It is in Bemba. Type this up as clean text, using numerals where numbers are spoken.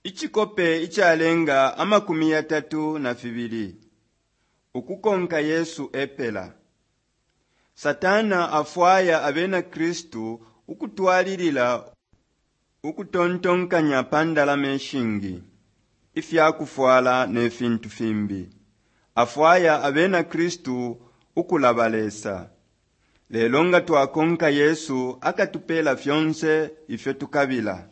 Icikope icalenga 32 Ukukonka Yesu epela. Satana afwaya Abena Kristu ukutwalilila ukutontonkanya pa ndalama ishingi, ifya kufwala ne fintu fimbi. Afwaya Abena Kristu ukulaba Lesa. Lelo nga twakonka Yesu akatupeela fyonse ifyo tukabila.